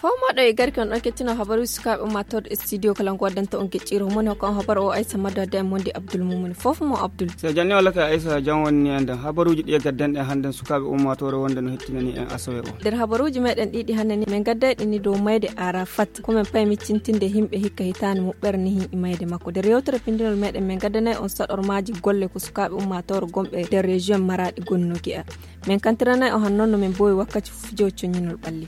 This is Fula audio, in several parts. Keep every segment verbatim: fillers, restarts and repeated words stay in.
Fof moɗo e garki on ɗon kettino habaruuji sukaaɓe ummaatooɗo e studio kala ngo waddanta on gecciro moni ko on habar o aysa maddo adde e mondi abdul mumuni fof mo abdul. So janni walla ka aysa jan wonni en den habaruuji ɗi e gadden ɗen hannden sukaaɓe ummaatoore wonde no hettinani en asawe o. Nder habaruuji meɗen ɗiɗi hannde ni min gadday ɗini dow mayde arafat ko min pay miccintinde himɓe hikka hitaani muɓɓere ni hin e mayde makko nder yewtere pindinol meɗen min gaddanay on saɗormaaji golle ko sukaaɓe ummaatoore gomɓe nder région maraɗi gonnoki a. Min kantiranay o hannon no min bowi wakkati fijo coñinol ɓalli.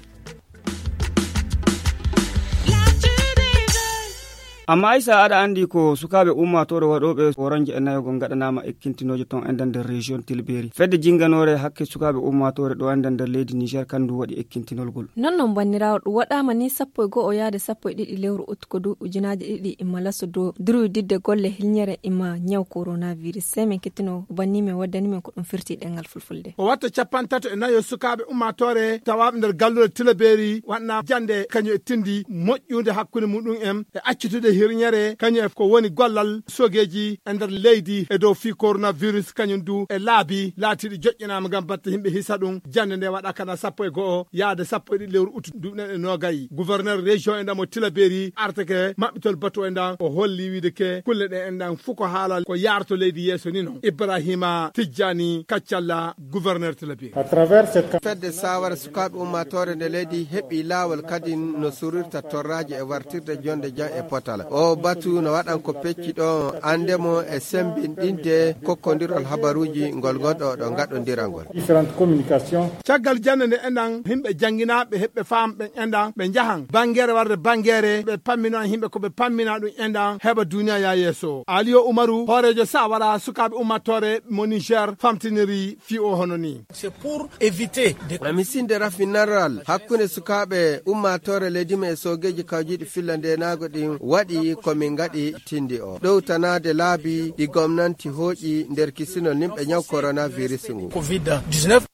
Amma aysa aɗa anndi ko sukaaɓe ummaatoore waɗooɓe oronje e nayogol ngaɗanaama ekkintinooje ton enden nder région tilberi fedde jinnganoore hakke sukaaɓe ummaatoore ɗo enden nder leydi niger kandu waɗi ekkintinolgol. Non non banniraawo ɗum waɗaama ni sappo e go'o yaade sappo e ɗiɗi lewru ut ko duuɓi ujunaaji ɗiɗi imma laso dow durwi didde golle hilñere imma ñaw coronavirus sey min kettino banni min waddani min ko ɗum firti ɗengal fulfulde. O watta capantato e nayo sukaaɓe ummaatoore tawaaɓe nder galluure tilabeeri waɗna jannde kañum e tindi moƴƴude hakkunde muɗum en e accitude hirñere kañum e ko woni gollal sogeeji e nder leydi e dow fii coronavirus kañum du e laabi laatiiɗi joƴƴinaama ngam batte yimɓe hisa ɗum jannde nde waɗa kana sappo e go'o yaade sappo e ɗiɗi lewru utu duuɓi ɗen e noogay gouverneur région e ndamo tilabeeri arteke maɓɓitol batu e ndan o holli wiide ke kulle ɗe en ɗan fuu ko haalal ko yaarto leydi yeeso ni non ibrahima tijjani kaccalla gouverneur tilabeeri. Fedde saawara sukaaɓe ummaatoore nde leydi heɓi laawol kadi no surirta torraaji e wartirde jonde jam e potala o batu no waɗan ko pecci ɗo ande mo e sembinɗinde kokkondirol habaruuji ngol ngonɗo ɗo ngaɗondirangol. Caggal jannde nde enɗan yimɓe jannginaaɓe heɓɓe faam ɓen enɗan ɓe njahan banngeere warde banngeere ɓe pammino an yimɓe ko ɓe pammina ɗum enɗan heɓa duniya ya yeeso aliyo umaru hooreejo sawara sukaaɓe ummattoore mo niger famtiniri fii o hono ni. Misinde rafinarral hakkunde sukaaɓe ummattoore leydi men e soogeeji kawjiiɗi filla ndenaago ɗin waɗi ko min ngaɗi tindi o ɗowtanaade laabi ɗi gomnanti hooƴi nder kisinol nimɓe ñaw coronavirus ngu.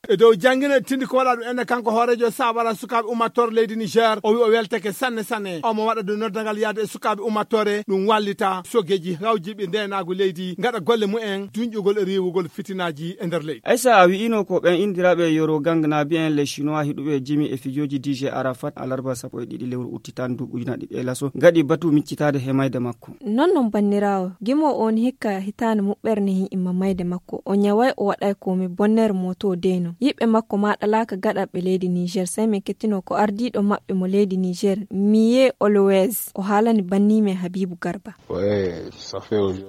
E dow janngina e tindi ko waɗa ɗum enne kanko hooreejo saabara sukaaɓe ummattoore leydi niger o wi o welteke sanne sanne omo waɗa dow noddangal yaade e sukaaɓe ummattoore ɗum wallita sogeeji hawjiiɓe ndenaagu leydi ngaɗa golle mumen duñƴugol e riiwugol fitinaaji e nder leydi. Aysa a wi'ino ko ɓen inndiraaɓe yoro gangnaabi en les chinois hiɗuɓe jimi e fijooji dj arafat alarba sappo e ɗiɗi lewru uttitan duuɓi ujunaaji ɗiɗi e laso ngaɗi batu miccitaade he mayde makko. Non non banniraawo gimo on hikka hitaande muɓɓere ne hin imma mayde makko o ñaway o waɗay komi bonnere moto deyno yiɓɓe makko maɗalaaka gaɗaɓɓe leydi niger sey min kettino ko ardiiɗo maɓɓe mo leydi niger miye olowes o haalani bannimen habibu garba.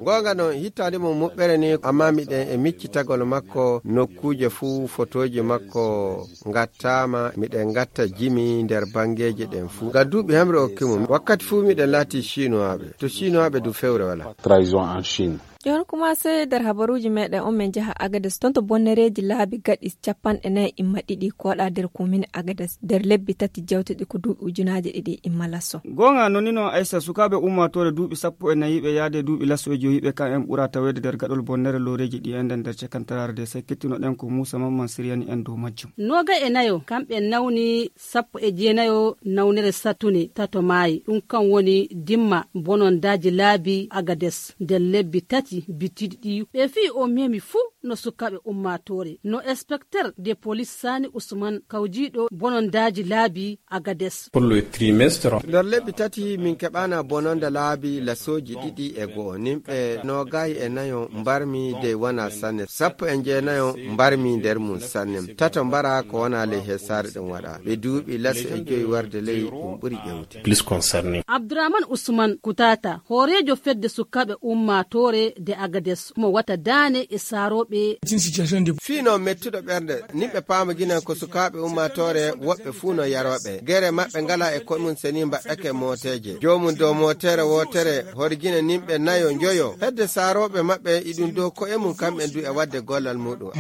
Goonga non hittaande mum muɓɓere ni amma miɗen e miccitagol makko nokkuuje fuu fotooji makko ngattaama miɗen ngatta jimi nder banngeeji ɗen fuu ngam duuɓi hemre okki mum wakkati fuu miɗen laati chinuwaaɓe to chinuwaaɓe du fewre wala. Trahison en chine. Ƴoon kuma sey nder habaruuji meɗen on min njaha agades toon to bonnereeji laabi gaɗi capanɗe nayi imma ɗiɗi koɗa nder komine agades nder lebbi tati jawtuɗi ko duuɓi ujunaaji ɗiɗi imma laso. Goonga noni noon aysa sukaaɓe ummaatoore duuɓi sappo e nayiɓe yaade duuɓi laso e joyiɓe kan en ɓura taweede nder gaɗol bonnere looreeji ɗi enden nder cakantaraare de sey kettinoɗen ko muusa mamman siryani en dow majjum. Noogay e nayo kamɓe nawni sappo e jeenayo nawnere satune tato maayi ɗum kan woni dimma bonondaaji laabi agades nder lebbi tati bitiiɗi ɗi ɓe fii o memi fuu no sukaaɓe ummaatoore no inspecteur de police sani usman kawjiiɗo bonondaaji laabi agades. Nder lebbi tati min keɓana bononda laabi lasooji ɗiɗi e go'o nimɓe noogay e nayo mbarmi de wona sanne sappo e jeenayo mbarmi nder mum sanne tato mbara ko wona ley hesaare ɗum waɗa ɓe duuɓi laso e joyi warde ley ɗum ɓuri ƴewte. Plus concerné. Abdourahmane Ousmane Koutata hooreejo fedde sukaaɓe ummaatoore de agades mo wata daane e saarooɓe. Fii no mettuɗo ɓernde nimɓe paama ginen ko sukaaɓe ummaatoore woɓɓe fuu no yarooɓe gere maɓɓe ngala e koye mum seni mbaɗɗake mooteeje joomum dow mootere wootere horgine nimɓe nayo njoyo hedde saarooɓe maɓɓe iɗum dow koye mum kamɓe du e waɗde gollal muɗum.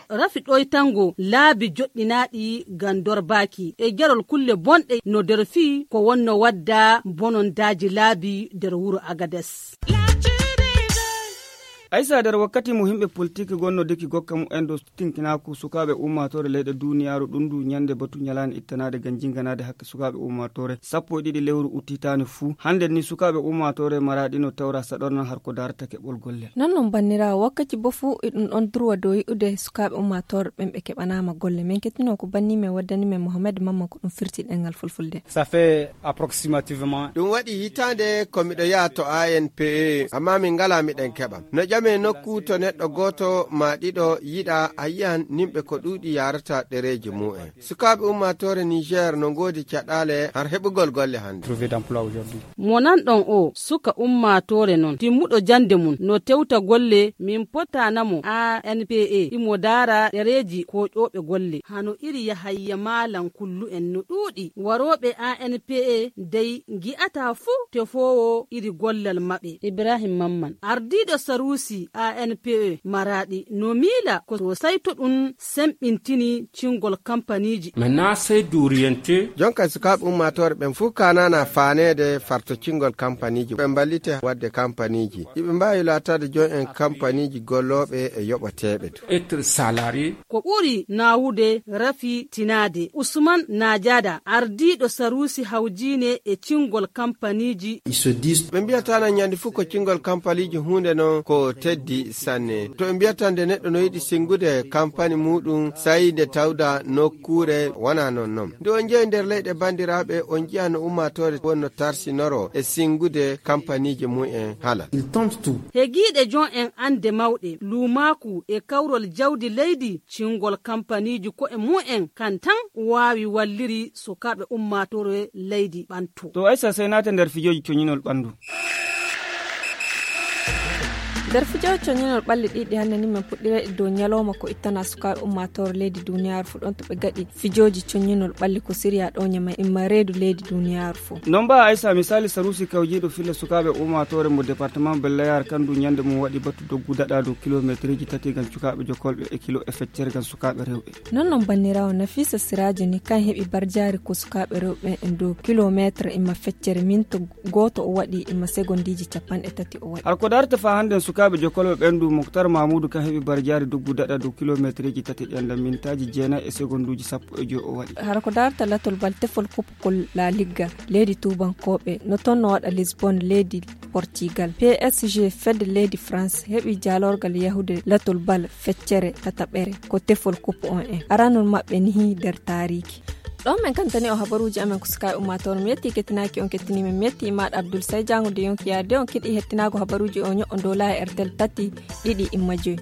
Rafi ɗoytango laabi joɗɗinaaɗi ngam dorbaaki e jarol kulle bonɗe no nder fii ko wonno wadda bonondaaji laabi nder wuro agades. Aysa, nder wakkati mo himɓe politik gonnodiki gokka mumen dow tinkinaaku sukaaɓe ummaatoore leyɗe duniyaaru, ɗum ndu ñande batu ñalaande ittanaade ngam jinnganaade hakke sukaaɓe ummaatoore, sappo e ɗiɗi lewru uttitaani fuu. Hannde ni sukaaɓe ummaatoore Maraaɗi no tawra saɗornan har ko daarata keɓol gollel. Non non banniraawo, wakkati bo fuu iɗum ɗon durwa dow yi'ude sukaaɓe ummaatoore ɓen ɓe keɓanaama golle. Men kettino ko banni men waddani men Mohamed Mamman ko ɗum firti ɗengal fulfulde. Ça fait approximativement. Ɗum waɗi hitaande ko miɗo yaha to A N P E, amma min ngalaa miɗen keɓa. No ƴame nokku to neɗɗo gooto maa ɗiɗo yiɗa, a yi'an nimɓe ko ɗuuɗi yaarata ɗereeji mumen. Sukaaɓe ummaatoore Niger no ngoodi caɗaale har heɓugol golle hannde. Trouver d'emploi aujourd'hui. Mo nanɗon o, suka ummaatoore non, timmuɗo jannde mum, no tewta golle, min potaana mo A N P E, imo daara ɗereeji koƴooɓe golle. Hano iri Yahayya Maalan Kullu en no ɗuuɗi, warooɓe A N P E dey ngi'ataa fuu tefoowo iri gollal maɓɓe. Ibrahim Mamman, ardiiɗo saruusi A N P E Maraaɗi, no miila ko sosay to ɗum semɓintini cingol kampaniiji. Maintenant, c'est d'orienter. Jonka sukaaɓe ummaatoore ɓen fuu kaanaana faaneede fartocingol kampaniiji, ɓe mballite waɗde kampaniiji. Iɓe mbaawi laataade jon en kampaniiji gollooɓe e yoɓateeɓe to. Être salarié. Ko ɓuri naawude rafi tinaade. Usman Najada, ardiiɗo saruusi hawjiine e cingol kampaniiji. Ils se disent. Ɓe mbiyata nan ñande fuu ko cingol kampaniiji huunde non ko teddi sanne. To ɓe mbiyata nde neɗɗo no yiɗi singude kampani muuɗum, sayi nde tawda nokkuure wona non non. Nde on njehi nder leyɗe banndiraaɓe, on njiya no ummaatoore wonno tarsinoro e singude kampaniiji mumen halal. Ils tentent tout. Hegiiɗe jon en annde mawɗe, luumaaku e kawrol jawdi leydi, cingol kampaniiji ko'e mumen kan tan waawi walliri sukaaɓe ummaatoore leydi ɓanto. To Aysa, sey naate nder fijooji coñinol ɓanndu. Nder fijooji coñinol ɓalli ɗiɗi hannde ni men puɗɗira e dow ñalooma ko ittana sukaaɓe ummaatoore leydi duniyaaru fuu ɗon to ɓe gaɗi fijooji coñinol ɓalli ko Siriya ɗo ñama imma reedu leydi duniyaaru fuu. Non ba Aysa, misaali saruusi kawjiiɗo filla sukaaɓe ummaatoore mo departement Bellayar kandu ñande mum waɗi batu doggu daɗa dow kilomeetirji tati ngam cukaaɓe jokolɓe e kilo e feccere ngam sukaaɓe rewɓe. Non non banniraawo Nafisa Siraajo ni kan heɓi barjaari ko sukaaɓe rewɓe en dow kilomeetre imma feccere minto gooto o waɗi imma segondiiji capanɗe tati o waɗi. Har ko darta fa hannden sukaaɓe jokolɓe ɓen du Moktar Mamuudu kan heɓi barjaari doggu daɗa dow kilomeetirji tati ɗen nder mintaaji jeenayi e segonduuji sappo e joy o waɗi. Har ko darta latol bal tefol kup Kol La Liga, leydi tuubankooɓe no toon no waɗa Lisbon, leydi Portugal. P S G fedde leydi France heɓi jaalorgal yahude latol bal feccere tataɓere ko tefol kup on en. Aranol maɓɓe nihi nder taariiki. Ɗon men kantani o habaruuji amen ko sukaaɓe ummaatoore. Mi yetti kettinaaki on kettini men. Mi yetti maaɗa Abdul Sey Jaango de yonki yaade on kiɗi hettinaago habaruuji o ño'o dow laayi R T L tati ɗiɗi imma joy.